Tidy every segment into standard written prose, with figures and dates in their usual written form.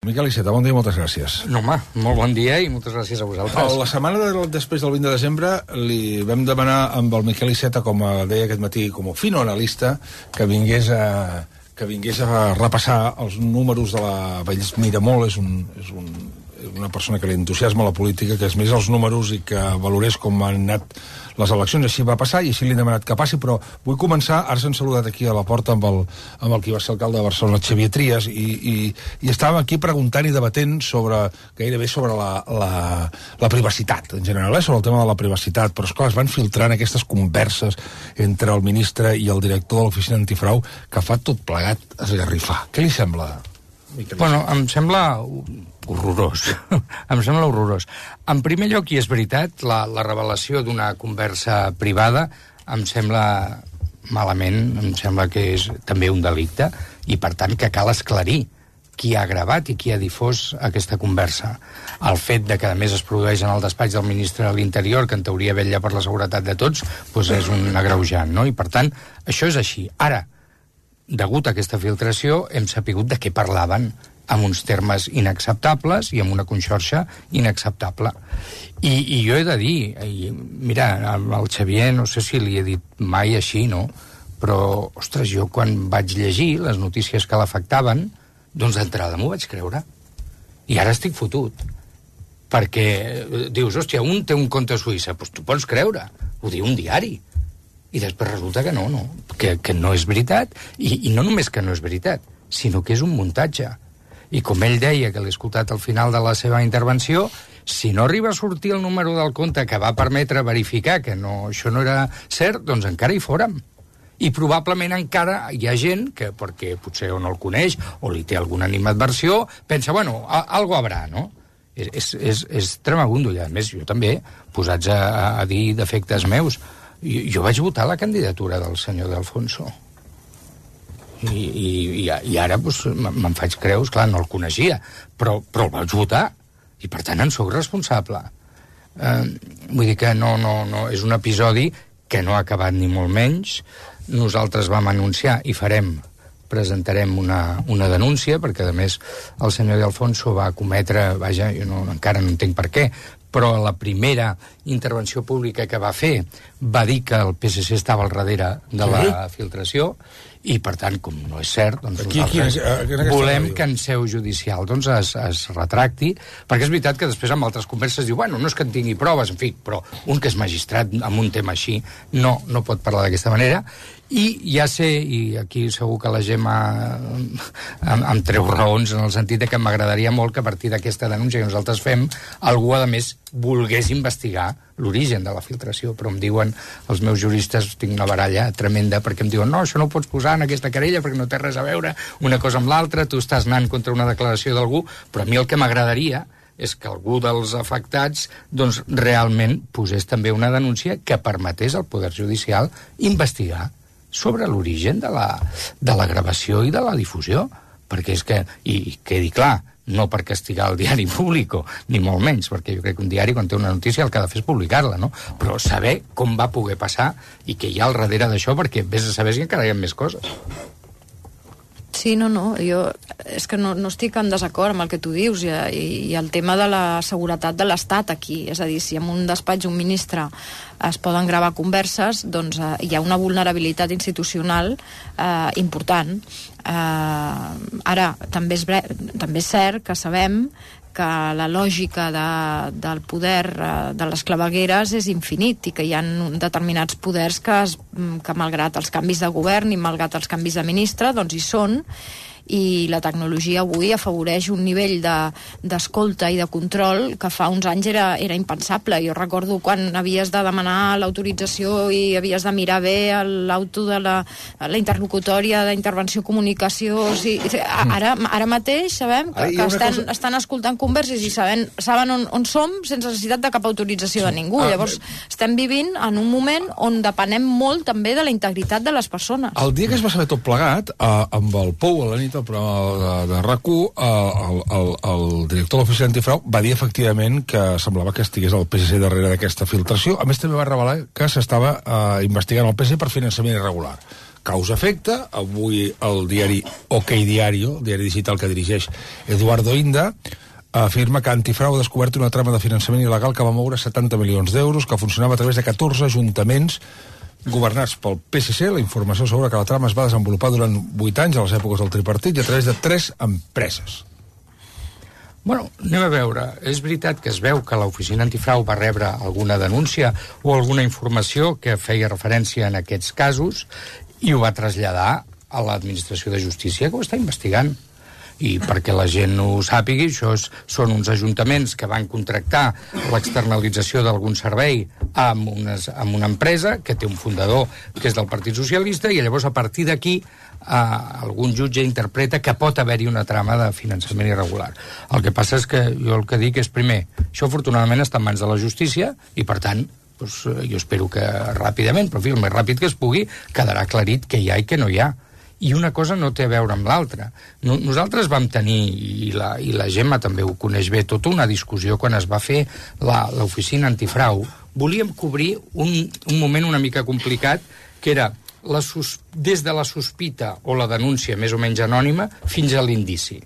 Miquel Iceta, bon dia i moltes gràcies. No, home, molt bon dia i moltes gràcies a vosaltres. La setmana després del 20 de desembre li vam demanar amb el Miquel Iceta, com deia aquest matí, com a fino analista, que vingués a repassar els números de la... Ell mira molt, és una persona que li entusiasma la política, que és més els números i que valorés com han anat les eleccions. Així va passar i així li hem demanat que passi, però vull començar, ara s'han saludat aquí a la porta amb el qui va ser alcalde de Barcelona, Xavier Trias, i estàvem aquí preguntant i debatent gairebé sobre la privacitat, en general, sobre el tema de la privacitat, però esclar, es van filtrant aquestes converses entre el ministre i el director de l'Oficina Antifrau que fa tot plegat esgarrifar. Què li sembla, Miquel? Bueno, em sembla horrorós. Em sembla horrorós. En primer lloc, i és veritat, la revelació d'una conversa privada em sembla malament, em sembla que és també un delicte, i per tant que cal esclarir qui ha gravat i qui ha difós aquesta conversa. El fet de que a més es produeix en el despatx del ministre de l'Interior, que en teoria vetlla per la seguretat de tots, doncs és un agreujant, no? I per tant, això és així. Ara, degut a aquesta filtració, hem sapigut de què parlaven amb uns termes inacceptables i amb una conxorxa inacceptable. I jo he de dir, mira, al Xavier no sé si li he dit mai així, no? Però, ostres, jo quan vaig llegir les notícies que l'afectaven, doncs d'entrada m'ho vaig creure. I ara estic fotut. Perquè dius, hòstia, un té un compte a Suïssa, doncs tu pots creure, ho diu un diari. I després resulta que no, que no és veritat, i no només que no és veritat, sinó que és un muntatge. I com ell deia, que l'he escoltat al final de la seva intervenció, si no arriba a sortir el número del compte que va permetre verificar que això no era cert, doncs encara hi fórem. I probablement encara hi ha gent que, perquè potser o no el coneix, o li té alguna animadversió, pensa, bueno, algo habrà, no? És tremabundo, i a més jo també, posats a dir defectes meus, jo vaig votar la candidatura del senyor De Alfonso. I ara doncs, me'n faig creus, clar, no el coneixia, però el vaig votar, i per tant en sóc responsable. Vull dir que no, és un episodi que no ha acabat ni molt menys. Nosaltres vam anunciar i presentarem una denúncia, perquè a més el senyor De Alfonso va cometre, vaja, jo encara no entenc per què, però la primera intervenció pública que va fer va dir que el PSC estava al darrere de la filtració, i per tant, com no és cert, doncs nosaltres volem que en seu judicial doncs es retracti, perquè és veritat que després amb altres converses diu, bueno, no és que en tingui proves, en fi, però un que és magistrat amb un tema així no pot parlar d'aquesta manera. I ja sé, i aquí segur que la Gemma em treu raons en el sentit de que m'agradaria molt que a partir d'aquesta denúncia que nosaltres fem, algú, a més, volgués investigar l'origen de la filtració, però em diuen, els meus juristes, tinc una baralla tremenda, perquè em diuen, no, això no ho pots posar en aquesta querella perquè no té res a veure una cosa amb l'altra, tu estàs anant contra una declaració d'algú, però a mi el que m'agradaria és que algú dels afectats doncs realment posés també una denúncia que permetés al Poder Judicial investigar sobre l'origen de la gravació i de la difusió, perquè és que, i quedi clar, no per castigar el diari Público, ni molt menys, perquè jo crec que un diari quan té una notícia el que ha de fer és publicar-la, no? Però saber com va poder passar i què hi ha al darrere d'això, perquè vés a saber si encara hi ha més coses. Sí, no, jo és que no estic en desacord amb el que tu dius i el tema de la seguretat de l'Estat aquí, és a dir, si en un despatx un ministre es poden gravar converses, doncs hi ha una vulnerabilitat institucional important. Ara, també és cert que sabem que la lògica del poder de les clavegueres és infinit i que hi ha determinats poders que malgrat els canvis de govern i malgrat els canvis de ministre, doncs hi són, i la tecnologia avui afavoreix un nivell d'escolta i de control que fa uns anys era impensable. Jo recordo quan havies de demanar l'autorització i havies de mirar bé l'auto de la interlocutòria d'intervenció comunicació. Ara mateix sabem que estan escoltant converses i saben on som sense necessitat de cap autorització de ningú. Llavors estem vivint en un moment on depenem molt també de la integritat de les persones. El dia que es va saber tot plegat, amb el Pou a la nit al programa de RAC1, el director de l'Oficina Antifrau va dir efectivament que semblava que estigués el PSC darrere d'aquesta filtració. A més, també va revelar que s'estava investigant el PSC per finançament irregular, causa-efecte. Avui el diari OK Diario, el diari digital que dirigeix Eduardo Inda, afirma que Antifrau ha descobert una trama de finançament il·legal que va moure 70 milions d'euros, que funcionava a través de 14 ajuntaments governats pel PSC. La informació sobre que la trama es va desenvolupar durant 8 anys, a les èpoques del tripartit, i a través de 3 empreses. Bueno, anem a veure. És veritat que es veu que l'Oficina Antifrau va rebre alguna denúncia o alguna informació que feia referència en aquests casos i ho va traslladar a l'Administració de Justícia, que ho està investigant. I perquè la gent ho sàpigui, són uns ajuntaments que van contractar l'externalització d'algun servei amb una empresa que té un fundador que és del Partit Socialista, i llavors a partir d'aquí algun jutge interpreta que pot haver-hi una trama de finançament irregular. El que passa és que jo el que dic és, primer, això afortunadament està en mans de la justícia i, per tant, doncs, jo espero que ràpidament, però en fi, el més ràpid que es pugui, quedarà aclarit què hi ha i què no hi ha. I una cosa no té a veure amb l'altra. Nosaltres vam tenir, i la Gemma també ho coneix bé, tota una discussió quan es va fer l'Oficina Antifrau. Volíem cobrir un moment una mica complicat, que era des de la sospita o la denúncia més o menys anònima fins a l'indici.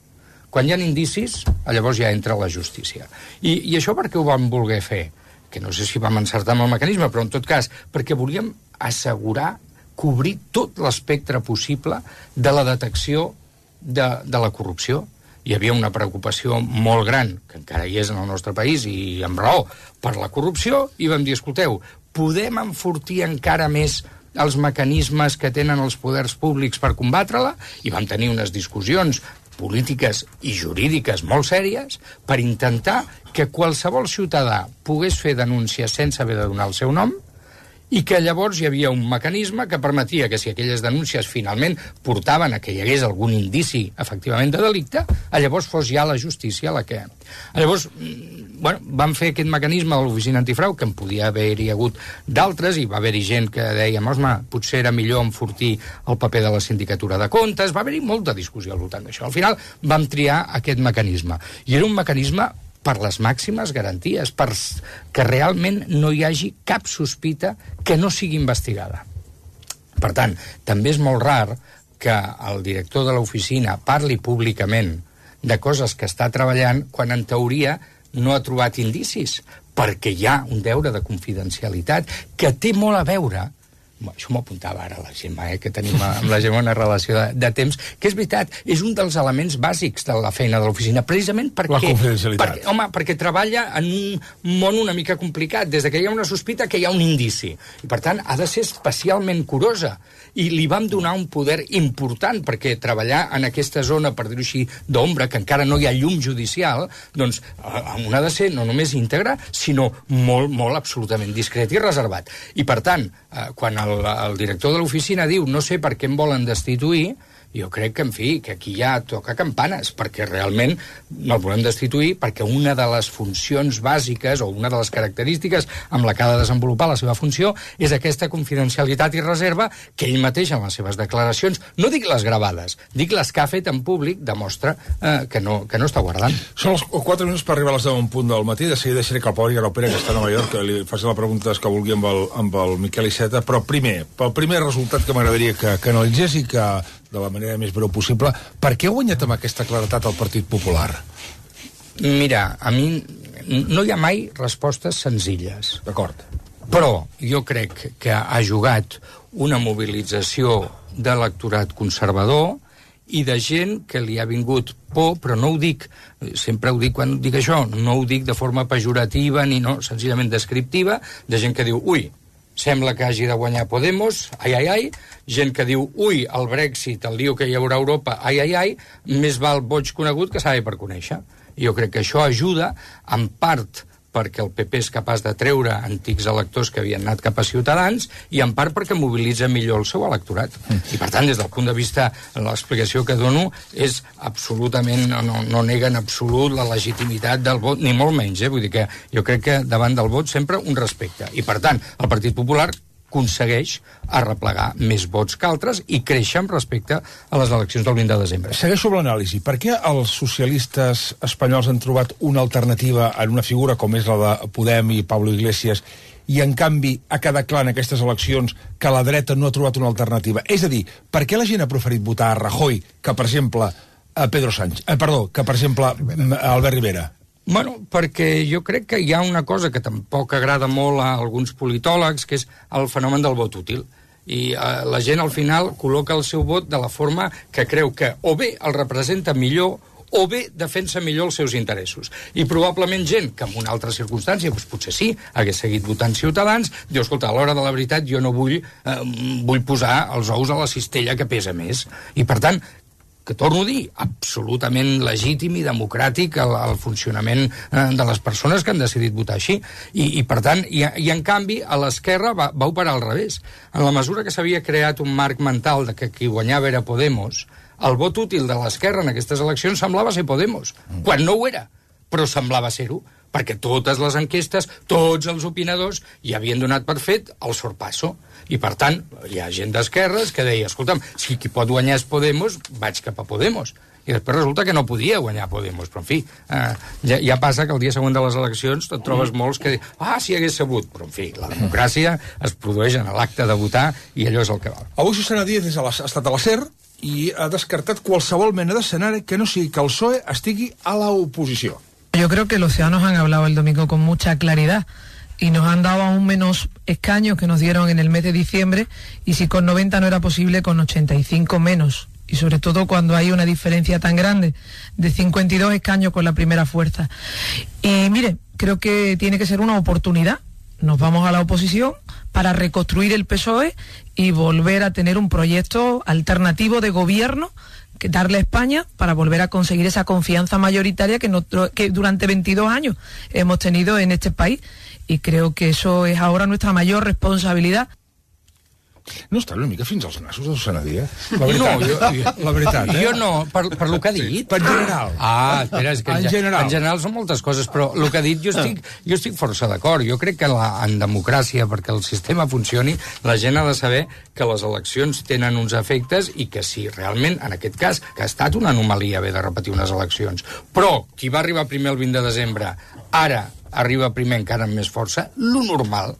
Quan hi ha indicis, llavors ja entra la justícia. I això per què ho vam voler fer? Que no sé si vam encertar amb el mecanisme, però en tot cas, perquè volíem assegurar cobrir tot l'espectre possible de la detecció de la corrupció. Hi havia una preocupació molt gran, que encara hi és en el nostre país, i amb raó, per la corrupció, i vam dir, escolteu, podem enfortir encara més els mecanismes que tenen els poders públics per combatre-la? I vam tenir unes discussions polítiques i jurídiques molt sèries per intentar que qualsevol ciutadà pogués fer denúncia sense haver de donar el seu nom, i que llavors hi havia un mecanisme que permetia que si aquelles denúncies finalment portaven a que hi hagués algun indici efectivament de delicte, llavors fos ja la justícia la que... Llavors, bueno, vam fer aquest mecanisme de l'Oficina Antifrau, que en podia haver-hi hagut d'altres, i va haver-hi gent que deia, potser era millor enfortir el paper de la sindicatura de comptes, va haver-hi molta discussió al voltant d'això. Al final vam triar aquest mecanisme, i era un mecanisme per les màximes garanties, que realment no hi hagi cap sospita que no sigui investigada. Per tant, també és molt rar que el director de l'oficina parli públicament de coses que està treballant quan en teoria no ha trobat indicis, perquè hi ha un deure de confidencialitat que té molt a veure. Això m'ho apuntava ara la Gemma, que tenim amb la Gemma una relació de temps, que és veritat, és un dels elements bàsics de la feina de l'oficina, precisament perquè... La confidencialitat. Perquè treballa en un món una mica complicat, des que hi ha una sospita que hi ha un indici, i per tant ha de ser especialment curosa, i li vam donar un poder important, perquè treballar en aquesta zona, per dir-ho així, d'ombra, que encara no hi ha llum judicial, doncs un ha de ser no només íntegre, sinó molt, molt absolutament discret i reservat. I per tant, quan el director de l'oficina diu no sé per què em volen destituir, jo crec que, en fi, que aquí ja toca campanes, perquè realment no el volem destituir, perquè una de les funcions bàsiques o una de les característiques amb la que ha de desenvolupar la seva funció és aquesta confidencialitat i reserva que ell mateix en les seves declaracions, no dic les gravades, dic les que ha fet en públic, demostra que no està guardant. Són els 4 minuts per arribar a les 10 en punt del matí. De seguida deixaré que el Pau Garau-Pere, que està a Nova York, que li faci la pregunta que vulgui amb el Miquel Iceta, però primer, pel primer resultat que m'agradaria que analitzés i que de la manera més breu possible, per què ha guanyat amb aquesta claretat el Partit Popular? Mira, a mi no hi ha mai respostes senzilles. D'acord. Però jo crec que ha jugat una mobilització d'electorat conservador i de gent que li ha vingut por, però no ho dic, sempre ho dic quan dic això, no ho dic de forma pejorativa ni no, senzillament descriptiva, de gent que diu, ui, sembla que hagi de guanyar Podemos, ai, gent que diu, ui, el Brexit, el lío que hi haurà a Europa, ai, més val boig conegut que savi per conèixer. I jo crec que això ajuda, en part, perquè el PP és capaç de treure antics electors que havien anat cap a Ciutadans i en part perquè mobilitza millor el seu electorat. I per tant, des del punt de vista, l'explicació que dono és absolutament, no nega en absolut la legitimitat del vot, ni molt menys, vull dir que jo crec que davant del vot sempre un respecte. I per tant, el Partit Popular aconsegueix arreplegar més vots que altres i créixer amb respecte a les eleccions del 20 de desembre. Segueixo amb l'anàlisi. Per què els socialistes espanyols han trobat una alternativa en una figura com és la de Podem i Pablo Iglesias i en canvi ha quedat clar en aquestes eleccions que la dreta no ha trobat una alternativa? És a dir, per què la gent ha preferit votar a Rajoy que, per exemple, a Pedro Sánchez? Que, per exemple, a Albert Rivera? Bueno, perquè jo crec que hi ha una cosa que tampoc agrada molt a alguns politòlegs, que és el fenomen del vot útil. I la gent, al final, col·loca el seu vot de la forma que creu que o bé el representa millor o bé defensa millor els seus interessos. I probablement gent que en una altra circumstància, doncs potser sí, hagués seguit votant Ciutadans, diu, escolta, a l'hora de la veritat jo no vull posar els ous a la cistella que pesa més. I, per tant, que torno a dir, absolutament legítim i democràtic el funcionament de les persones que han decidit votar així. I per tant, i en canvi, a l'esquerra va operar al revés. En la mesura que s'havia creat un marc mental de que qui guanyava era Podemos, el vot útil de l'esquerra en aquestes eleccions semblava ser Podemos, quan no ho era, però semblava ser-ho, perquè totes les enquestes, tots els opinadors hi havien donat per fet el sorpasso. I, per tant, hi ha gent d'esquerres que deia, escolta'm, si qui pot guanyar és Podemos, vaig cap a Podemos. I després resulta que no podia guanyar Podemos. Però, en fi, ja passa que el dia següent de les eleccions et trobes molts que diuen, si hagués sabut. Però, en fi, la democràcia es produeix en l'acte de votar i allò és el que val. Avui Susana Díaz ha estat a la SER i ha descartat qualsevol mena d'escenari que no sigui que el PSOE estigui a la oposició. Yo creo que los ciudadanos han hablado el domingo con mucha claridad y nos han dado aún menos escaños que nos dieron en el mes de diciembre, y si con 90 no era posible, con 85 menos. Y sobre todo cuando hay una diferencia tan grande de 52 escaños con la primera fuerza. Y mire, creo que tiene que ser una oportunidad. Nos vamos a la oposición para reconstruir el PSOE y volver a tener un proyecto alternativo de gobierno, que darle a España para volver a conseguir esa confianza mayoritaria que durante 22 años hemos tenido en este país. Y creo que eso es ahora nuestra mayor responsabilidad. No està una mica fins als nassos de Susana Díaz? La veritat, Jo no, per lo que ha dit. Per general. Espera, és que en general són moltes coses, però el que ha dit jo estic força d'acord. Jo crec que en democràcia, perquè el sistema funcioni, la gent ha de saber que les eleccions tenen uns efectes i que si realment, en aquest cas, que ha estat una anomalia haver de repetir unes eleccions. Però qui va arribar primer el 20 de desembre, ara arriba primer encara amb més força, lo normal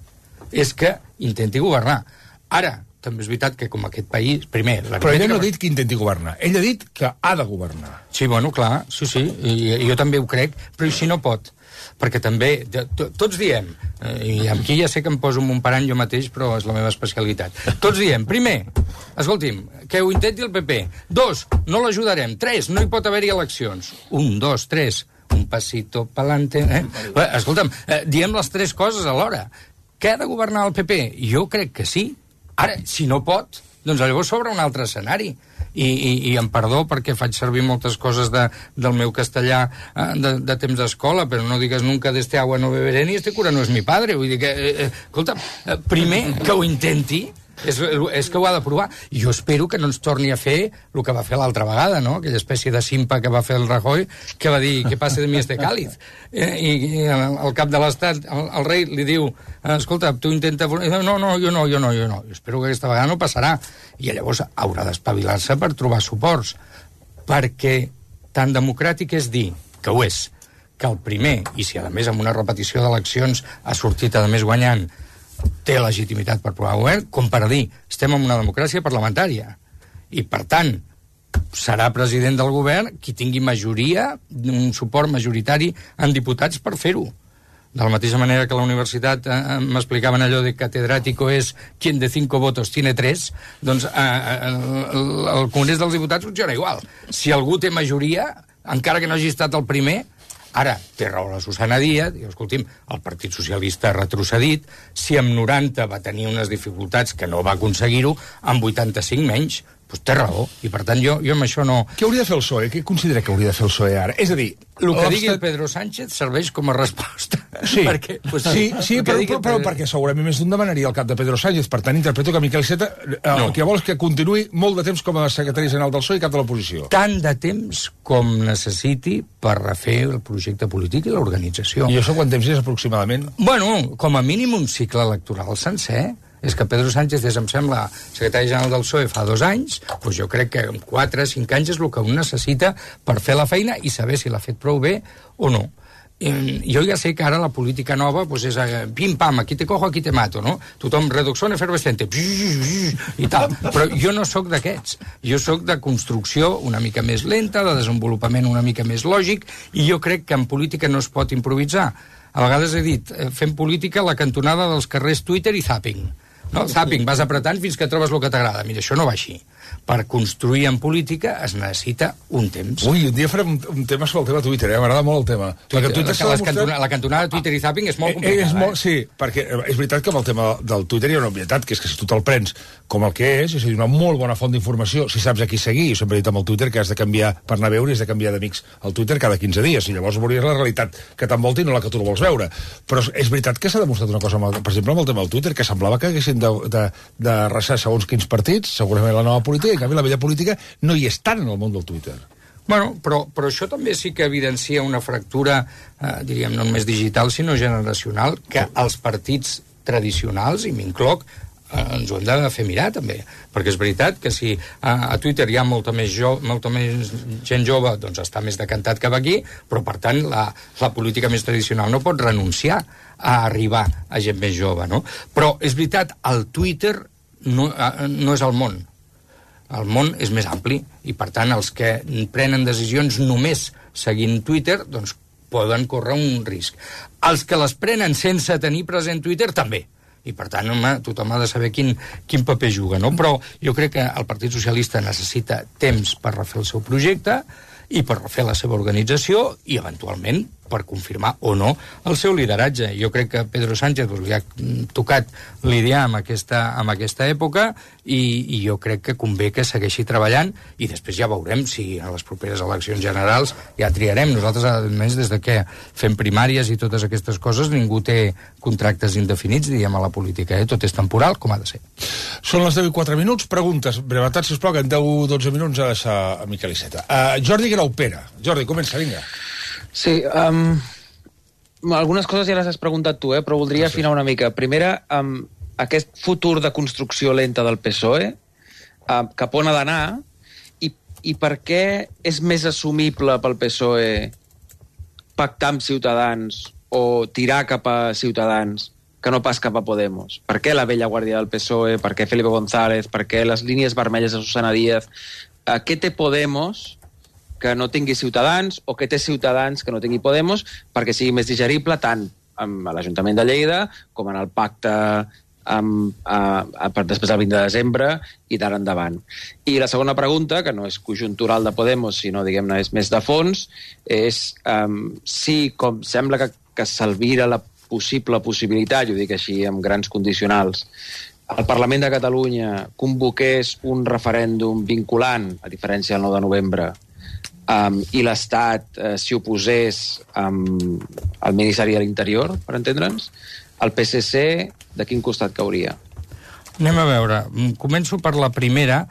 és que intenti governar. Ara, també és veritat que com aquest país... Primer, però ella no ha dit que intenti governar. Ella ha dit que ha de governar. Sí, bueno, clar, sí. I jo també ho crec, però si no pot. Perquè també, tots diem, i aquí ja sé que em poso en un parany jo mateix, però és la meva especialitat. Tots diem, primer, escolti'm, que ho intenti el PP. 2, no l'ajudarem. 3, no hi pot haver-hi eleccions. 1, 2, 3, un pasito pa'lante. Escolta'm, diem les 3 coses alhora. Que ha de governar el PP? Jo crec que sí. Ara, si no pot, doncs llavors s'obre un altre escenari. I em perdó perquè faig servir moltes coses del meu castellà de temps d'escola, però no digues nunca de este agua no beberé ni este cura no és mi padre. Vull dir que, escolta, primer que ho intenti, és que ho ha de provar. I jo espero que no ens torni a fer el que va fer l'altra vegada, no? Aquella espècie de simpa que va fer el Rajoy, que va dir, que passa de mi este cáliz? I al cap de l'estat, el rei li diu, escolta, tu intenta... No, jo no. Jo espero que aquesta vegada no passarà. I llavors haurà d'espavilar-se per trobar suports. Perquè tan democràtic és dir, que ho és, que el primer, i si a més amb una repetició d'eleccions ha sortit a més guanyant, té legitimitat per provar govern, com per dir, estem en una democràcia parlamentària. I, per tant, serà president del govern qui tingui majoria, un suport majoritari en diputats per fer-ho. De la mateixa manera que a la universitat m'explicaven allò de catedràtico és quien de 5 votos tiene 3, doncs el Congrés dels Diputats funciona igual. Si algú té majoria, encara que no hagi estat el primer, ara, té raó la Susana Díaz, diu, escolti'm, el Partit Socialista ha retrocedit, si amb 90 va tenir unes dificultats que no va aconseguir-ho, amb 85 menys, doncs té raó, i per tant jo amb això no... Què hauria de fer el PSOE? Què considera que hauria de fer el PSOE ara? És a dir... El que digui el Pedro Sánchez serveix com a resposta. Sí, però perquè segurament més d'un demanaria el cap de Pedro Sánchez. Per tant, interpreto que Miquel Iceta el que vol és que continuï molt de temps com a secretari general del PSOE i cap de l'oposició. Tant de temps com necessiti per refer el projecte polític i l'organització. I això quant temps és aproximadament? Bueno, com a mínim un cicle electoral sencer. És que Pedro Sánchez és, em sembla, secretari general del PSOE fa 2 anys, doncs jo crec que en 4 o 5 anys és el que un necessita per fer la feina i saber si l'ha fet prou bé o no. jo ja sé que ara la política nova pues és pim-pam, aquí te cojo, aquí te mato, no? Tothom, reducción efervescente, i tal. Però jo no sóc d'aquests. Jo sóc de construcció una mica més lenta, de desenvolupament una mica més lògic, i jo crec que en política no es pot improvisar. A vegades he dit, fem política a la cantonada dels carrers Twitter i Zapping. No? Zapping, vas apretant fins que trobes el que t'agrada. Mira, això no va així. Per construir en política es necessita un temps. Ui, un dia farem un tema sobre el tema Twitter, m'agrada molt el tema. La cantonada de Twitter i Zapping és molt complicada. Sí, perquè és veritat que amb el tema del Twitter hi ha una obvietat, que és que si tu te'l prens com el que és a dir, una molt bona font d'informació, si saps a qui seguir, jo sempre he dit amb el Twitter que has de canviar, per anar a veure, has de canviar d'amics al Twitter cada 15 dies, i llavors veuries la realitat que t'envolta i no la que tu no vols veure. Però és veritat que s'ha demostrat una cosa, per exemple, amb el tema del Twitter, que semblava que haguessin de resar segons quins partits, segurament la nova política, i en canvi la vella política no hi és tant en el món del Twitter. Bueno, però això també sí que evidencia una fractura, diríem, no només digital, sinó generacional, que els partits tradicionals, i m'incloc, ens ho hem de fer mirar, també. Perquè és veritat que si a Twitter hi ha molta més gent jove, doncs està més decantat cap aquí, però, per tant, la política més tradicional no pot renunciar a arribar a gent més jove, no? Però és veritat, el Twitter no és el món. El món és més ampli i, per tant, els que prenen decisions només seguint Twitter, doncs poden córrer un risc. Els que les prenen sense tenir present Twitter, també. I, per tant, home, tothom ha de saber quin paper juga, no? Però jo crec que el Partit Socialista necessita temps per refer el seu projecte i per refer la seva organització i, eventualment, per confirmar o no el seu lideratge. Jo crec que Pedro Sánchez li ha tocat lidiar amb aquesta època i jo crec que convé que segueixi treballant i després ja veurem si a les properes eleccions generals ja triarem. Nosaltres, a més, des de que fem primàries i totes aquestes coses, ningú té contractes indefinits, diguem, a la política. Tot és temporal, com ha de ser. Són les 10:04. Preguntes, brevetat, sisplau, que en 10-12 minuts ha de deixar a Miquel Iceta. Jordi Graupera. Jordi, comença, vinga. Sí, algunes coses ja les has preguntat tu, però voldria afinar una mica. Primera, aquest futur de construcció lenta del PSOE, cap on ha d'anar i per què és més assumible pel PSOE pactar amb Ciutadans o tirar cap a Ciutadans que no pas cap a Podemos? Per què la vella guàrdia del PSOE? Per què Felipe González? Per què les línies vermelles de Susana Díaz? Què té Podemos que no tingui Ciutadans, o que té Ciutadans que no tingui Podemos, perquè sigui més digerible tant amb l'Ajuntament de Lleida com en el pacte després del 20 de desembre i d'ara endavant. I la segona pregunta, que no és conjuntural de Podemos, sinó, diguem-ne, és més de fons, és si, com sembla que s'alvira la possibilitat, jo dic així, amb grans condicionals, el Parlament de Catalunya convoqués un referèndum vinculant, a diferència del 9 de novembre, i l'Estat s'hi oposés al Ministeri de l'Interior, per entendre'ns, el PSC de quin costat cauria? Anem a veure. Començo per la primera.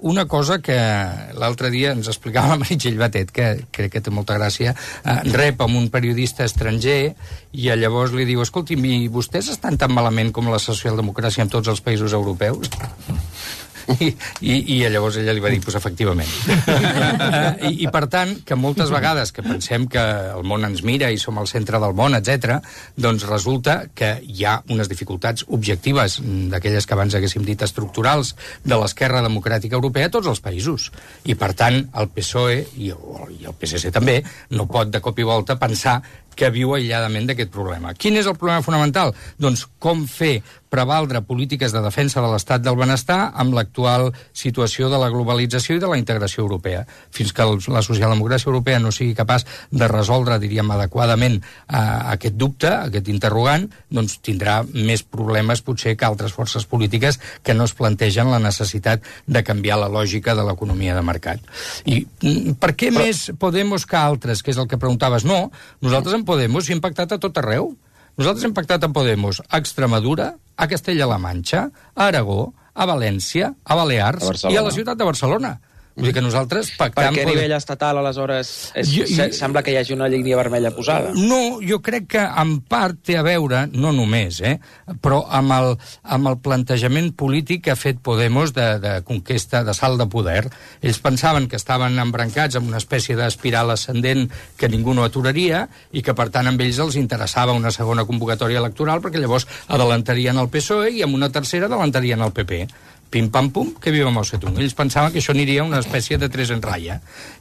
Una cosa que l'altre dia ens explicava la Meritxell Batet, que crec que té molta gràcia, rep amb un periodista estranger i llavors li diu, escolti'm, i vostès estan tan malament com la socialdemocràcia en tots els països europeus? I llavors ella li va dir, doncs efectivament. I per tant, que moltes vegades que pensem que el món ens mira i som al centre del món, etc., doncs resulta que hi ha unes dificultats objectives, d'aquelles que abans haguéssim dit estructurals, de l'esquerra democràtica europea a tots els països. I per tant, el PSOE, i el PSC també, no pot de cop i volta pensar que viu aïlladament d'aquest problema. Quin és el problema fonamental? Doncs com fer prevaldre polítiques de defensa de l'estat del benestar amb l'actual situació de la globalització i de la integració europea. Fins que la socialdemocràcia europea no sigui capaç de resoldre, diríem, adequadament aquest dubte, aquest interrogant, doncs tindrà més problemes potser que altres forces polítiques que no es plantegen la necessitat de canviar la lògica de l'economia de mercat. I per què més Podemos que altres, que és el que preguntaves? No, nosaltres en Podemos hem pactat a tot arreu. Nosaltres hem pactat amb Podemos a Extremadura, a Castella-La Manxa, a Aragó, a València, a Balears i a la ciutat de Barcelona. Vull dir que nosaltres pactam... Per què a nivell estatal, aleshores, sembla que hi hagi una línia vermella posada? No, jo crec que en part té a veure, no només, però amb el plantejament polític que ha fet Podemos de conquesta, de salt de poder. Ells pensaven que estaven embrancats en una espècie d'espiral ascendent que ningú no aturaria i que, per tant, amb ells els interessava una segona convocatòria electoral perquè llavors adelantarien el PSOE i amb una tercera adelantarien el PP. Pim-pam-pum, que viva Mao Zedong. Ells pensaven que això aniria una espècie de tres en ratlla.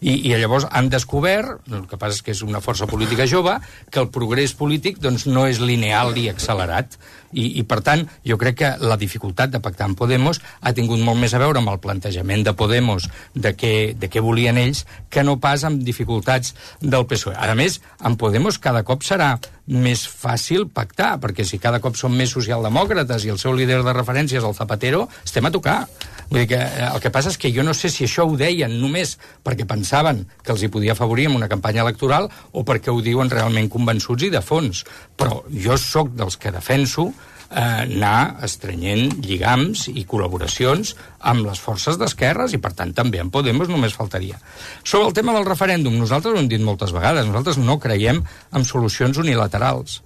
I llavors han descobert, el que passa és que és una força política jove, que el progrés polític doncs, no és lineal i accelerat. I, per tant, jo crec que la dificultat de pactar amb Podemos ha tingut molt més a veure amb el plantejament de Podemos de què volien ells que no pas amb dificultats del PSOE. A més, amb Podemos cada cop serà més fàcil pactar, perquè si cada cop són més socialdemòcrates i el seu líder de referència és el Zapatero, estem a tocar. Vull dir que el que passa és que jo no sé si això ho deien només perquè pensaven que els hi podia afavorir en una campanya electoral o perquè ho diuen realment convençuts i de fons. Però jo sóc dels que defenso anar estrenyent lligams i col·laboracions amb les forces d'esquerres i, per tant, també en Podemos només faltaria. Sobre el tema del referèndum, nosaltres ho hem dit moltes vegades, nosaltres no creiem en solucions unilaterals.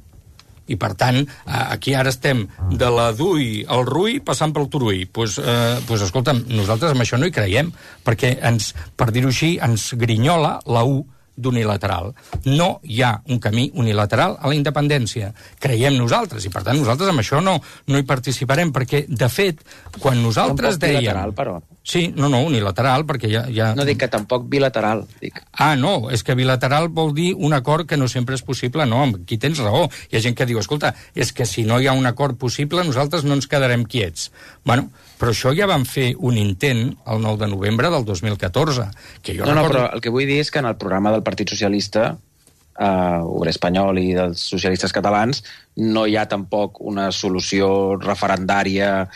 I, per tant, aquí ara estem de la Dui al Rui passant pel Turull. Doncs, escolta'm, nosaltres amb això no hi creiem, perquè, per dir-ho així, ens grinyola la U d'unilateral. No hi ha un camí unilateral a la independència. Creiem nosaltres, i per tant nosaltres amb això no hi participarem, perquè, de fet, quan nosaltres dèiem... Bilateral, però. Sí, no, unilateral, perquè ja... No dic que tampoc bilateral, dic. No, és que bilateral vol dir un acord que no sempre és possible, no, aquí tens raó. Hi ha gent que diu, escolta, és que si no hi ha un acord possible, nosaltres no ens quedarem quiets. Bueno, però això ja vam fer un intent el 9 de novembre del 2014. Que jo recordo... però el que vull dir és que en el programa del Partit Socialista, Obrer Espanyol i dels socialistes catalans, no hi ha tampoc una solució referendària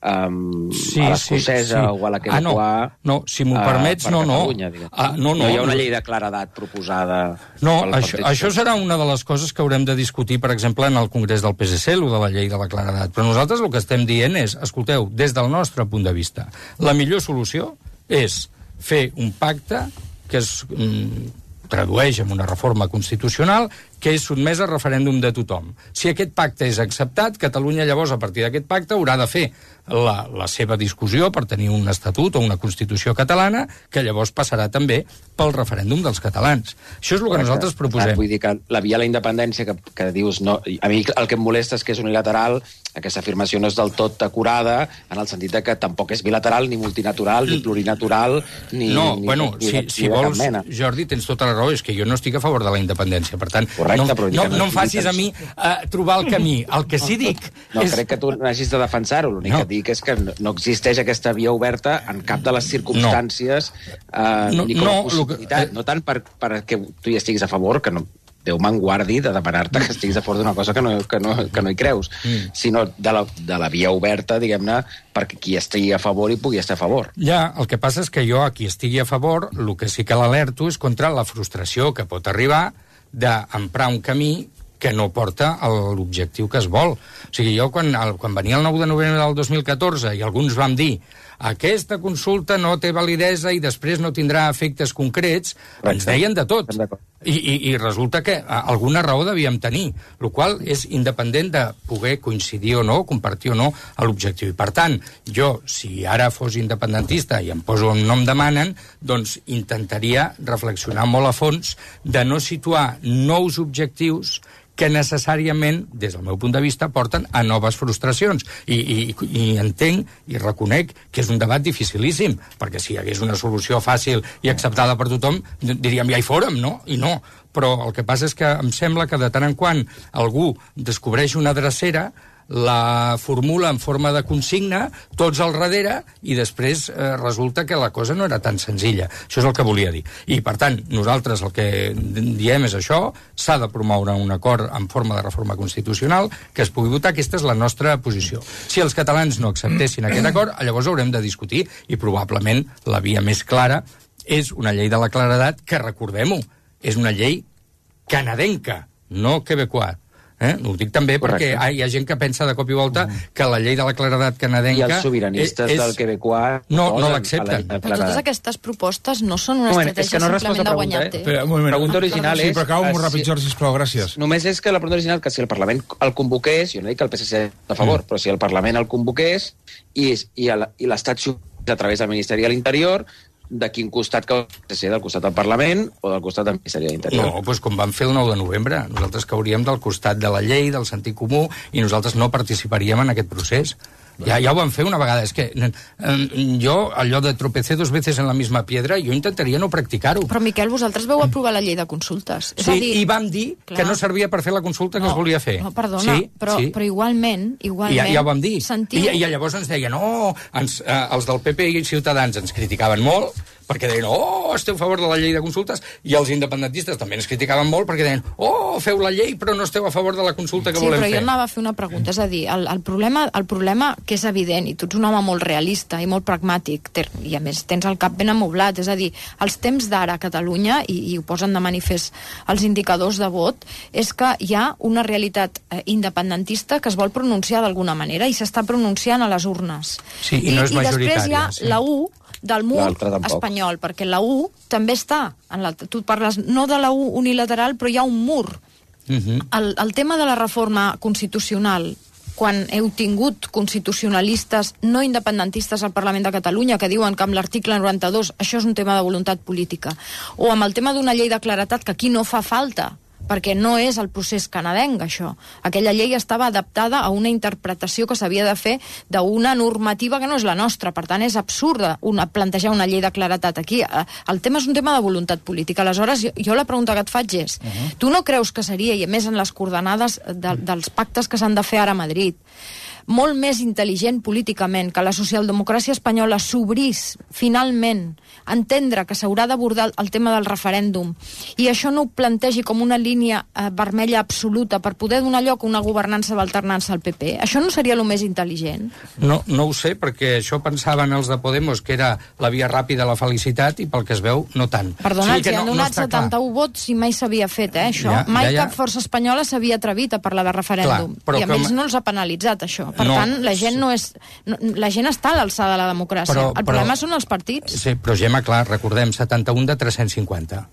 a l'escocesa o a la quebecoa. No, si m'ho permets, no. No hi ha una llei de claredat proposada. No, això serà una de les coses que haurem de discutir, per exemple, en el Congrés del PSC, el de la llei de la claredat. Però nosaltres el que estem dient és, escolteu, des del nostre punt de vista, la millor solució és fer un pacte que es tradueix en una reforma constitucional que és sotmès a referèndum de tothom. Si aquest pacte és acceptat, Catalunya llavors, a partir d'aquest pacte, haurà de fer la seva discussió per tenir un estatut o una Constitució catalana, que llavors passarà també pel referèndum dels catalans. Això és el que nosaltres proposem. Vull dir que la via a la independència que dius... No, a mi el que em molesta és que és unilateral, aquesta afirmació no és del tot acurada, en el sentit que tampoc és bilateral, ni multinatural, ni plurinatural, ni... No, si vols, Jordi, tens tota la raó, és que jo no estic a favor de la independència, per tant... No em facis a mi trobar el camí. El que sí dic... No crec que tu n'hagis de defensar-ho. L'únic que dic és que no existeix aquesta via oberta en cap de les circumstàncies ni com a possibilitat. No tant perquè tu hi estiguis a favor, que no... Déu me'n guardi de demanar-te que estiguis a favor d'una cosa que no hi creus, sinó de la via oberta, diguem-ne, perquè qui estigui a favor hi pugui estar a favor. Ja, el que passa és que jo, a qui estigui a favor, el que sí que l'alerto és contra la frustració que pot arribar d'emprar un camí que no porta a l'objectiu que es vol. O sigui, jo quan venia el 9 de novembre del 2014 i alguns vam dir aquesta consulta no té validesa i després no tindrà efectes concrets, ens deien de tot. I resulta que alguna raó devíem tenir, el qual és independent de poder coincidir o no, compartir o no a l'objectiu. I per tant, jo, si ara fos independentista i em poso on no em demanen, doncs intentaria reflexionar molt a fons de no situar nous objectius que necessàriament, des del meu punt de vista, porten a noves frustracions. I entenc i reconec que és un debat dificilíssim, perquè si hi hagués una solució fàcil i acceptada per tothom, diríem ja hi fórem, no? I no. Però el que passa és que em sembla que de tant en quant algú descobreix una drecera, la formula en forma de consigna, tots al darrere, i després resulta que la cosa no era tan senzilla. Això és el que volia dir. I, per tant, nosaltres el que diem és això, s'ha de promoure un acord en forma de reforma constitucional que es pugui votar, aquesta és la nostra posició. Si els catalans no acceptessin aquest acord, llavors haurem de discutir, i probablement la via més clara és una llei de la claredat que, recordem-ho, és una llei canadenca, no quebecoa. Ho dic també perquè hi ha gent que pensa de cop i volta que la llei de la claredat canadenca... I els sobiranistes del Quebecois... No l'accepten. Però totes aquestes propostes no són una estratègia simplement de guanyar temps. La pregunta original és... Sí, però acaba molt ràpid, Jordi, sisplau, gràcies. Només és que la pregunta original, que si el Parlament el convoqués, jo no dic que el PSC a favor, però si el Parlament el convoqués i l'Estat a través del Ministeri de l'Interior, de quin costat que ser, del costat del Parlament o del costat del Ministeri de l'Interior? No, doncs com vam fer el 9 de novembre. Nosaltres cauríem del costat de la llei, del sentit comú, i nosaltres no participaríem en aquest procés. Ja ho vam fer una vegada. És que jo, allò de tropecé 2 veces en la misma piedra, jo intentaria no practicar-ho. Però, Miquel, vosaltres vau aprovar la llei de consultes. Sí, i vam dir que no servia per fer la consulta que es volia fer. No, perdona, però igualment... Ja ho vam dir. I llavors ens deien, els del PP i Ciutadans ens criticaven molt, perquè deien, esteu a favor de la llei de consultes, i els independentistes també ens criticaven molt, perquè deien, feu la llei, però no esteu a favor de la consulta que volem fer. Sí, però jo anava a fer una pregunta, és a dir, el problema que és evident, i tu ets un home molt realista i molt pragmàtic, i a més tens el cap ben amoblat, és a dir, els temps d'ara a Catalunya, i ho posen de manifest els indicadors de vot, és que hi ha una realitat independentista que es vol pronunciar d'alguna manera, i s'està pronunciant a les urnes. Sí, i no és majoritària. I després hi ha la U del mur espanyol, perquè la U també està, tu parles no de la U unilateral, però hi ha un mur. El tema de la reforma constitucional, quan heu tingut constitucionalistes no independentistes al Parlament de Catalunya que diuen que amb l'article 92 això és un tema de voluntat política, o amb el tema d'una llei de claredat que aquí no fa falta, perquè no és el procés canadenc, això. Aquella llei estava adaptada a una interpretació que s'havia de fer d'una normativa que no és la nostra. Per tant, és absurda plantejar una llei de claredat aquí. El tema és un tema de voluntat política. Aleshores, jo la pregunta que et faig és, tu no creus que seria, i a més en les coordenades dels pactes que s'han de fer ara a Madrid, molt més intel·ligent políticament que la socialdemocràcia espanyola s'obrís finalment a entendre que s'haurà d'abordar el tema del referèndum i això no ho plantegi com una línia vermella absoluta per poder donar lloc a una governança d'alternança al PP? Això no seria el més intel·ligent? No ho sé, perquè això pensaven els de Podemos que era la via ràpida a la felicitat i pel que es veu, no tant. Perdona, els han donat 71 vots i mai s'havia fet, això. Mai cap força espanyola s'havia atrevit a parlar de referèndum. I a ells no els ha penalitzat, això. Per tant, la gent està a l'alçada de la democràcia. El problema són els partits. Sí, però Gemma, clar, recordem, 71 de 350.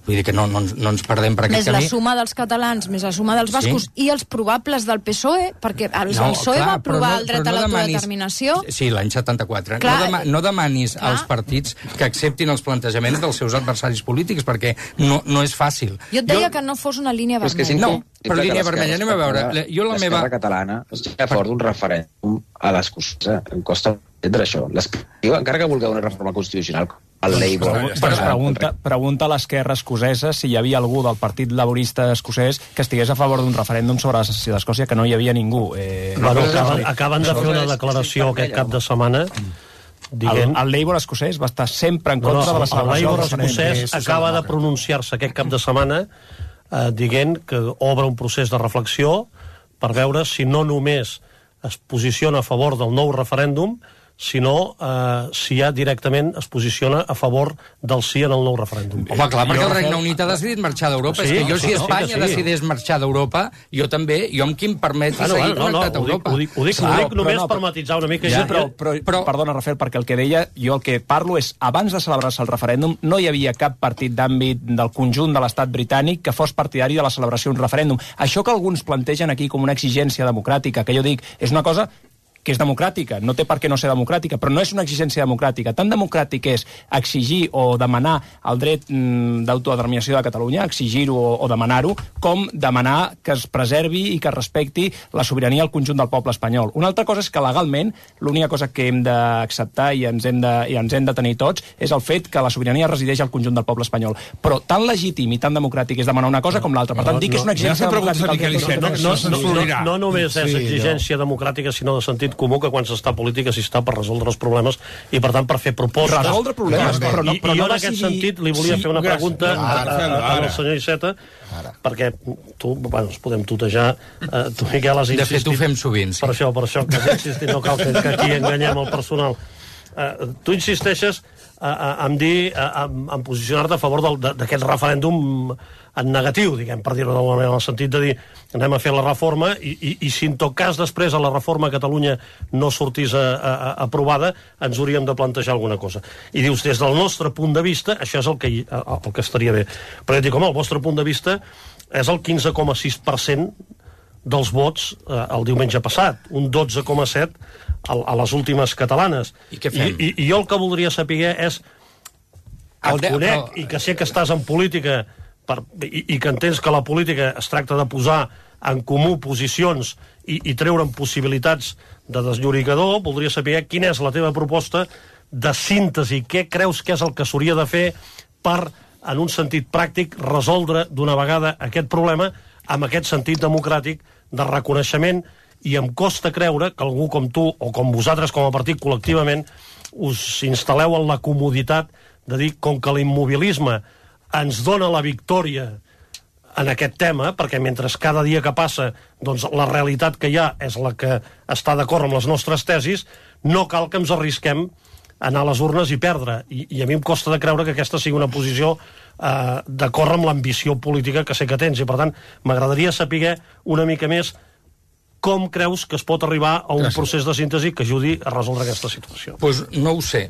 Vull dir que no ens perdem per aquest camí. Més la suma dels catalans, més la suma dels bascos i els probables del PSOE, perquè el PSOE va aprovar el dret a l'autodeterminació. Sí, l'any 74. No demanis als partits que acceptin els plantejaments dels seus adversaris polítics, perquè no és fàcil. Jo et deia que no fos una línia vermella. No, però línia vermella, anem a veure. L'esquerra catalana està a favor d'un referèndum a l'escocesa. Em costa entendre això. Encara que vulgueu una reforma constitucional, el Labour... Pregunta a l'esquerra escocesa si hi havia algú del Partit Laborista escocès que estigués a favor d'un referèndum sobre la secessió d'Escòcia, que no hi havia ningú. Acaben de fer una declaració aquest cap de setmana dient... El Labour escocès va estar sempre en contra de la celebració del referèndum. El Labour escocès acaba de pronunciar-se aquest cap de setmana dient que obre un procés de reflexió per veure si no només es posiciona a favor del nou referèndum, sinó si ja directament es posiciona a favor del sí en el nou referèndum. Home, clar, perquè el Regne Unit ha decidit marxar d'Europa. És que jo, si Espanya decidís marxar d'Europa, jo també, jo amb qui em permeti seguir connectat a Europa. Ho dic només per matisar una mica. Però, perdona, Rafael, perquè el que deia, jo el que parlo és, abans de celebrar-se el referèndum, no hi havia cap partit d'àmbit del conjunt de l'estat britànic que fos partidari de la celebració d'un referèndum. Això que alguns plantegen aquí com una exigència democràtica, que jo dic, és una cosa que és democràtica, no té per què no ser democràtica, però no és una exigència democràtica. Tan democràtic és exigir o demanar el dret d'autodeterminació de Catalunya, exigir-ho o demanar-ho, com demanar que es preservi i que es respecti la sobirania al conjunt del poble espanyol. Una altra cosa és que legalment l'única cosa que hem d'acceptar i ens hem de tenir tots és el fet que la sobirania resideix al conjunt del poble espanyol. Però tan legítim i tan democràtic és demanar una cosa com l'altra. Per tant, dir que és una exigència democràtica... No només és exigència democràtica, sinó de sentit comú, que quan s'està a política s'hi està per resoldre els problemes i, per tant, per fer propostes. Resoldre problemes, però no jo, en aquest sentit, li volia fer una pregunta al senyor Iceta, perquè tu, ens podem tutejar, tu, Miquel, has insistit... De fet, ho fem sovint, sí. Per això que has insistit, no cal que aquí enganyem el personal. Tu insisteixes en posicionar-te a favor d'aquest referèndum en negatiu, diguem, per dir-ho d'alguna manera, en el sentit de dir anem a fer la reforma i si en tot cas després a la reforma a Catalunya no sortís aprovada, ens hauríem de plantejar alguna cosa. I dius, des del nostre punt de vista, això és el que estaria bé. Però dic, home, el vostre punt de vista és el 15,6% dels vots el diumenge passat, un 12,7% a les últimes catalanes. I què fem? I jo el que voldria saber és, et conec, i que sé que estàs en política i que entens que la política es tracta de posar en comú posicions i treure'n possibilitats de deslloricador, voldria saber quina és la teva proposta de síntesi, què creus que és el que s'hauria de fer per, en un sentit pràctic, resoldre d'una vegada aquest problema amb aquest sentit democràtic de reconeixement, i em costa creure que algú com tu, o com vosaltres com a partit col·lectivament, us instal·leu en la comoditat de dir, com que l'immobilisme ens dona la victòria en aquest tema, perquè mentre cada dia que passa doncs, la realitat que hi ha és la que està d'acord amb les nostres tesis, no cal que ens arrisquem a anar a les urnes i perdre. I a mi em costa de creure que aquesta sigui una posició d'acord amb l'ambició política que sé que tens. I per tant, m'agradaria saber una mica més com creus que es pot arribar a un procés de síntesi que ajudi a resoldre aquesta situació. Doncs no ho sé.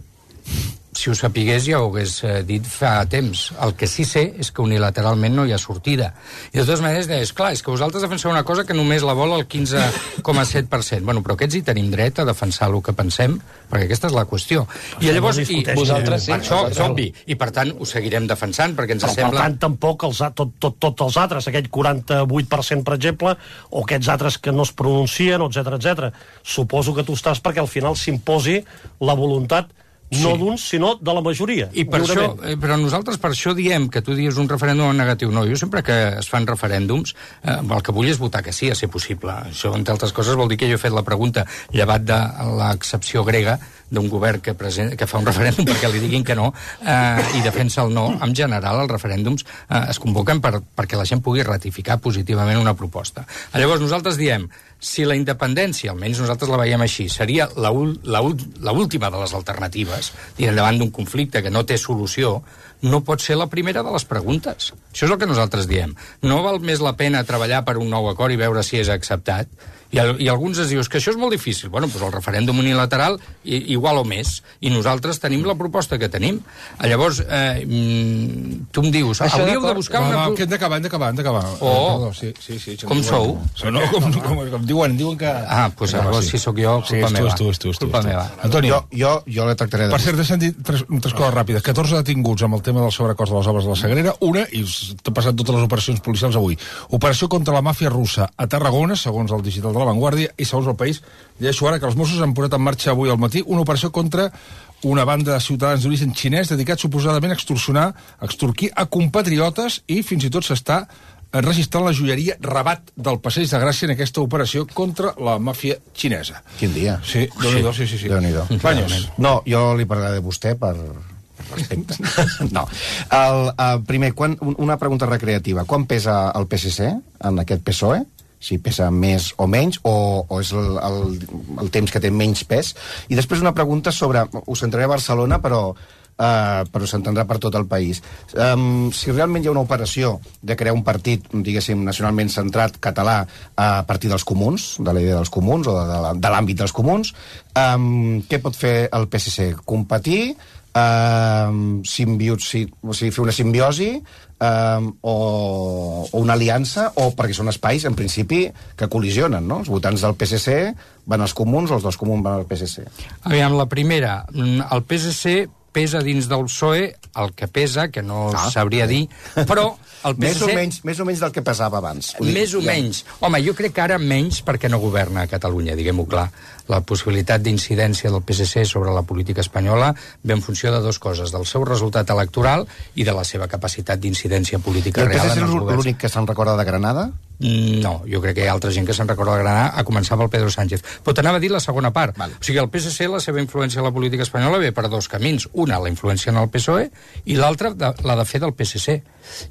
Si ho sapigués ja ho hagués dit fa temps. El que sí sé és que unilateralment no hi ha sortida. I de totes maneres deies, clar, és que vosaltres defenseu una cosa que només la vol el 15,7%. Bueno, però aquests hi tenim dret a defensar el que pensem, perquè aquesta és la qüestió. I llavors, vosaltres sí. Això és obvi. I per tant ho seguirem defensant, perquè ens sembla... Per tant, tampoc tots els altres, aquell 48%, per exemple, o aquests altres que no es pronuncien, etc. Suposo que tu estàs perquè al final s'imposi la voluntat no d'uns, sinó de la majoria. I per això, però nosaltres per això diem que tu dius un referèndum negatiu. No, jo sempre que es fan referèndums, el que vull és votar que sí, a ser possible. Això, entre altres coses, vol dir que jo he fet la pregunta, llevat de l'excepció grega d'un govern que fa un referèndum perquè li diguin que no i defensa el no. En general, els referèndums es convoquen perquè la gent pugui ratificar positivament una proposta. Llavors, nosaltres diem, si la independència, almenys nosaltres la veiem així, seria l'última de les alternatives, davant d'un conflicte que no té solució, no pot ser la primera de les preguntes. Això és el que nosaltres diem. No val més la pena treballar per un nou acord i veure si és acceptat. I alguns es dius que això és molt difícil. Bueno, doncs el referèndum unilateral igual o més. I nosaltres tenim la proposta que tenim. Llavors, tu em dius, hauríeu de buscar una... Que hem d'acabar. Oh, sí, com sou? No, com diuen que... Doncs llavors si sóc jo, culpa meva. Culpa meva. Antonio. Jo la tractaré de... Per cert, he sentit tres coses ràpides. 14 detinguts amb el tema del sobrecost de les obres de la Sagrera. Una, i t'he passat totes les operacions policials avui. Operació contra la màfia russa a Tarragona, segons el digital de La Vanguardia, i segons El País, llegeixo ara que els Mossos han posat en marxa avui al matí una operació contra una banda de ciutadans d'origen xinès dedicat suposadament a extorquir a compatriotes, i fins i tot s'està registrant la joieria Rabat del Passeig de Gràcia en aquesta operació contra la màfia xinesa. Quin dia. Sí, Déu-n'hi-do, sí. Déu-n'hi-do. Baños. No, jo li parlaré de vostè per respecte. No. Primer, una pregunta recreativa. Quan pesa el PSC en aquest PSOE? Si pesa més o menys, o és el temps que té menys pes. I després una pregunta sobre... Us centraré a Barcelona, però s'entendrà per tot el país. Si realment hi ha una operació de crear un partit, diguéssim, nacionalment centrat, català, a partir dels comuns, de la idea dels comuns, o de l'àmbit dels comuns, què pot fer el PSC? Competir? Fer una simbiosi? O una aliança, o perquè són espais, en principi, que col·lisionen, no? Els votants del PSC van als comuns, o els dels comuns van al PSC. Aviam, la primera, el PSC pesa dins del PSOE el que pesa, que no sabria dir, però el PSC... Més o menys del que pesava abans. Més o menys. Home, jo crec que ara menys perquè no governa a Catalunya, diguem-ho clar. La possibilitat d'incidència del PSC sobre la política espanyola ve en funció de dues coses, del seu resultat electoral i de la seva capacitat d'incidència política real. I el PSC és l'únic que se'n recorda de Granada? No, jo crec que hi ha altra gent que se'n recorda de Granada, a començar pel Pedro Sánchez. Però t'anava a dir la segona part. Vale. O sigui, el PSC, la seva influència a la política espanyola ve per dos camins. Una, la influència en el PSOE, i l'altra la de fer del PSC.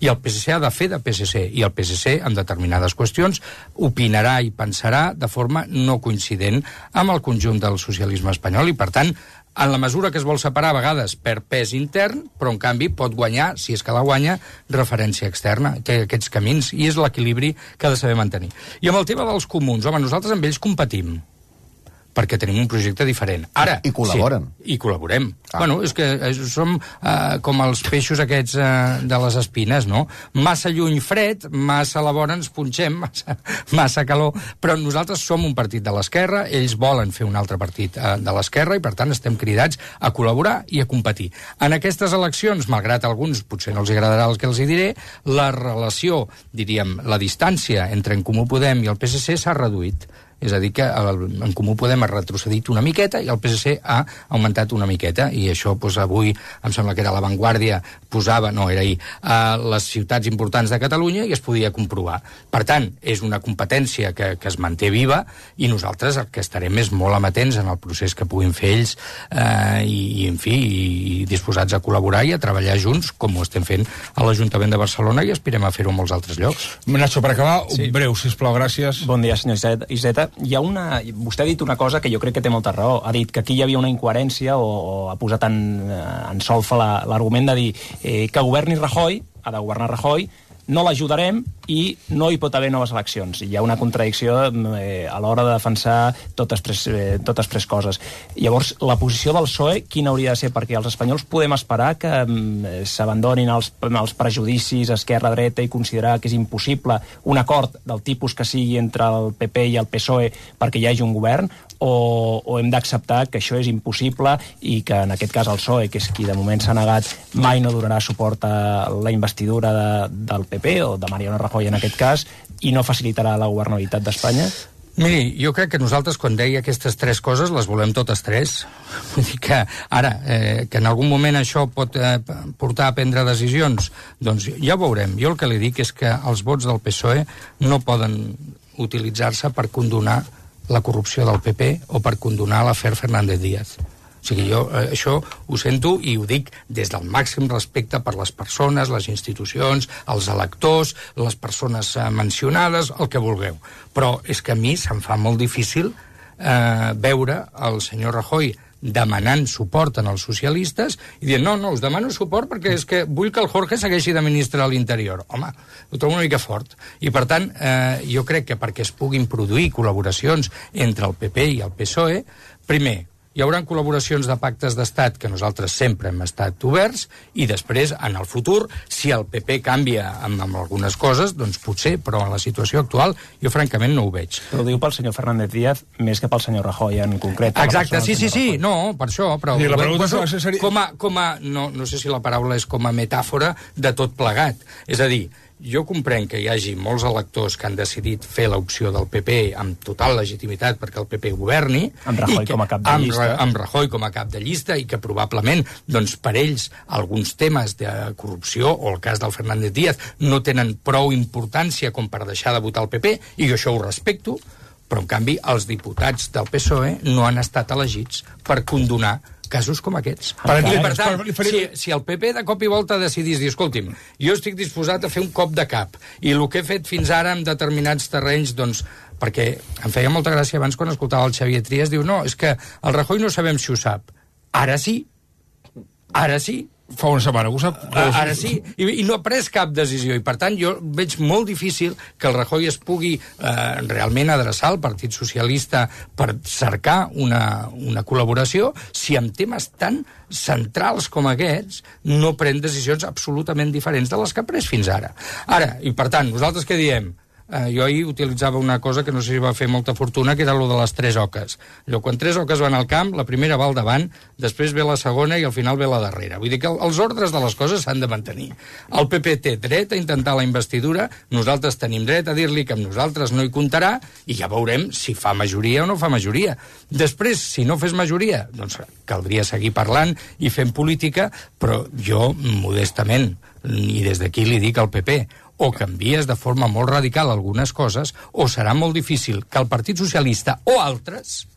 I el PSC ha de fer de PSC, i el PSC, en determinades qüestions, opinarà i pensarà de forma no coincident amb el conjunt del socialisme espanyol, i per tant, en la mesura que es vol separar a vegades per pes intern, però en canvi pot guanyar, si és que la guanya, referència externa. Té aquests camins, i és l'equilibri que ha de saber mantenir. I amb el tema dels comuns, home, nosaltres amb ells competim, perquè tenim un projecte diferent. Ara, I col·laboren. Sí, i col·laborem. Bueno, és que som com els peixos aquests de les espines, no? Massa lluny fred, massa a la vora ens punxem, massa calor, però nosaltres som un partit de l'esquerra, ells volen fer un altre partit de l'esquerra, i per tant estem cridats a col·laborar i a competir. En aquestes eleccions, malgrat alguns potser no els agradarà el que els hi diré, la relació, diríem, la distància entre En Comú Podem i el PSC s'ha reduït. És a dir, que En Comú Podem ha retrocedit una miqueta i el PSC ha augmentat una miqueta, i això avui em sembla que era La Vanguardia, posava, no, era ahir, les ciutats importants de Catalunya, i es podia comprovar. Per tant, és una competència que es manté viva, i nosaltres el que estarem és molt amatents en el procés que puguin fer ells, i en fi, i disposats a col·laborar i a treballar junts, com ho estem fent a l'Ajuntament de Barcelona, i aspirem a fer-ho en molts altres llocs. Nacho, per acabar, breu, sisplau, gràcies. Bon dia, senyor Iceta. Vostè ha dit una cosa que jo crec que té molta raó. Ha dit que aquí hi havia una incoherència, o ha posat en solfa l'argument de dir que governi Rajoy, ha de governar Rajoy, no l'ajudarem i no hi pot haver noves eleccions. Hi ha una contradicció a l'hora de defensar totes tres coses. Llavors, la posició del PSOE quina hauria de ser? Perquè els espanyols podem esperar que s'abandonin els prejudicis esquerra-dreta i considerar que és impossible un acord del tipus que sigui entre el PP i el PSOE perquè hi hagi un govern, o hem d'acceptar que això és impossible i que en aquest cas el PSOE, que és qui de moment s'ha negat, mai no donarà suport a la investidura del PP o de Mariano Rajoy en aquest cas, i no facilitarà la governabilitat d'Espanya? Miri, jo crec que nosaltres, quan deia aquestes tres coses, les volem totes tres. Vull dir que ara, que en algun moment això pot portar a prendre decisions, doncs ja ho veurem. Jo el que li dic és que els vots del PSOE no poden utilitzar-se per condonar la corrupció del PP o per condonar l'afer Fernández Díaz. O sigui, jo això ho sento i ho dic des del màxim respecte per les persones, les institucions, els electors, les persones mencionades, el que vulgueu. Però és que a mi se'm fa molt difícil veure el senyor Rajoy demanant suport en els socialistes i dient, no, us demano suport perquè és que vull que el Jorge segueixi de ministre a l'Interior. Home, ho trobo una mica fort. I per tant, jo crec que perquè es puguin produir col·laboracions entre el PP i el PSOE, primer, hi haurà col·laboracions de pactes d'estat que nosaltres sempre hem estat oberts, i després, en el futur, si el PP canvia amb algunes coses, doncs potser, però en la situació actual jo francament no ho veig. Però ho diu pel senyor Fernández Díaz més que pel senyor Rajoy en concret. Exacte, sí, no, per això, però sí, la pregunta seria... no sé si la paraula és com a metàfora de tot plegat. És a dir, jo comprenc que hi hagi molts electors que han decidit fer l'opció del PP amb total legitimitat perquè el PP governi, amb Rajoy com a cap de llista, amb Rajoy com a cap de llista, i que probablement doncs, per ells alguns temes de corrupció o el cas del Fernández Díaz no tenen prou importància com per deixar de votar el PP, i jo això ho respecto, però en canvi els diputats del PSOE no han estat elegits per condonar casos com aquests. Per tant, si el PP de cop i volta decidís dir, escolti'm, jo estic disposat a fer un cop de cap, i el que he fet fins ara en determinats terrenys, doncs, perquè em feia molta gràcia abans quan escoltava el Xavier Trias, diu, no, és que el Rajoy no sabem si ho sap. Ara sí. Fa una setmana, ho sap? Ara sí, i no ha pres cap decisió, i per tant jo veig molt difícil que el Rajoy es pugui realment adreçar al Partit Socialista per cercar una col·laboració si en temes tan centrals com aquests no pren decisions absolutament diferents de les que ha pres fins ara. Ara, i per tant, nosaltres què diem? Jo ahir utilitzava una cosa que no sé si va fer molta fortuna, que era lo de les tres oques. Quan tres oques van al camp, la primera va al davant, després ve la segona i al final ve la darrera. Vull dir que els ordres de les coses s'han de mantenir. El PP té dret a intentar la investidura, nosaltres tenim dret a dir-li que amb nosaltres no hi comptarà, i ja veurem si fa majoria o no fa majoria. Després, si no fes majoria, doncs caldria seguir parlant i fent política, però jo, modestament, i des d'aquí li dic al PP, o canvies de forma molt radical algunes coses, o serà molt difícil que el Partit Socialista o altres,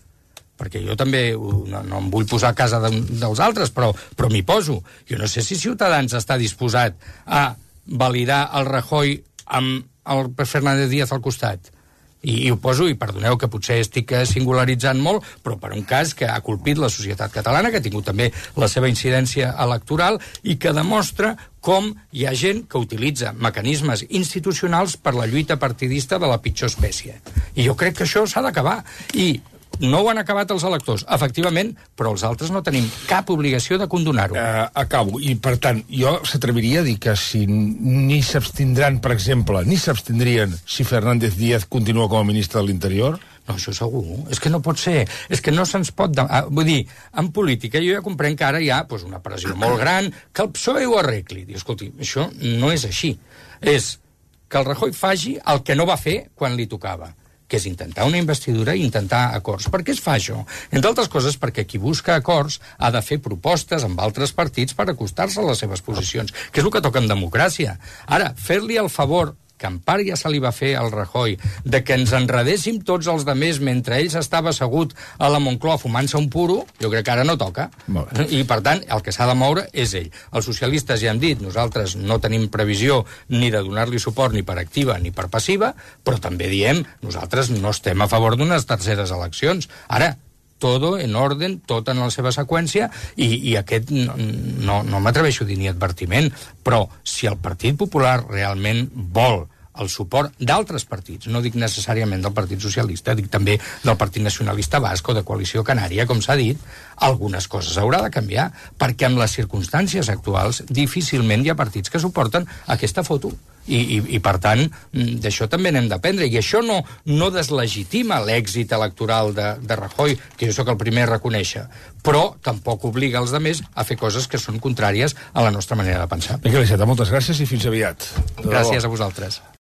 perquè jo també no em vull posar a casa dels altres, però m'hi poso. Jo no sé si Ciutadans està disposat a validar el Rajoy amb el Fernández Díaz al costat. I ho poso, i perdoneu que potser estic singularitzant molt, però per un cas que ha colpit la societat catalana, que ha tingut també la seva incidència electoral i que demostra com hi ha gent que utilitza mecanismes institucionals per la lluita partidista de la pitjor espècie. I jo crec que això s'ha d'acabar. I no ho han acabat els electors, efectivament, però els altres no tenim cap obligació de condonar-ho. Acabo. I, per tant, jo s'atreviria a dir que si ni s'abstindran, per exemple, ni s'abstindrien si Fernández Díaz continua com a ministre de l'Interior? No, això segur. És que no pot ser. És que no se'ns pot... Vull dir, en política jo ja comprenc que ara hi ha una pressió molt gran, que el PSOE ho arregli. Diu, escolti, això no és així. És que el Rajoy faci el que no va fer quan li tocava, que és intentar una investidura i intentar acords. Per què es fa això? Entre altres coses perquè qui busca acords ha de fer propostes amb altres partits per acostar-se a les seves posicions, que és el que toca en democràcia. Ara, fer-li el favor, que en part ja se li va fer al Rajoy, de que ens enredéssim tots els demés mentre ell s'estava assegut a la Moncloa fumant-se un puro, jo crec que ara no toca. I, per tant, el que s'ha de moure és ell. Els socialistes ja han dit, nosaltres no tenim previsió ni de donar-li suport ni per activa ni per passiva, però també diem, nosaltres no estem a favor d'unes terceres eleccions. Ara, todo en orden, tot en la seva seqüència, i aquest no m'atreveixo a dir ni advertiment, però si el Partit Popular realment vol el suport d'altres partits, no dic necessàriament del Partit Socialista, dic també del Partit Nacionalista Basc o de Coalició Canària, com s'ha dit, algunes coses haurà de canviar, perquè en les circumstàncies actuals difícilment hi ha partits que suporten aquesta foto. I per tant, d'això també n'hem d'aprendre. I això no deslegitima l'èxit electoral de Rajoy, que jo sóc el primer a reconèixer, però tampoc obliga els altres a fer coses que són contràries a la nostra manera de pensar. Miquel Iceta, moltes gràcies i fins aviat. Gràcies a vosaltres.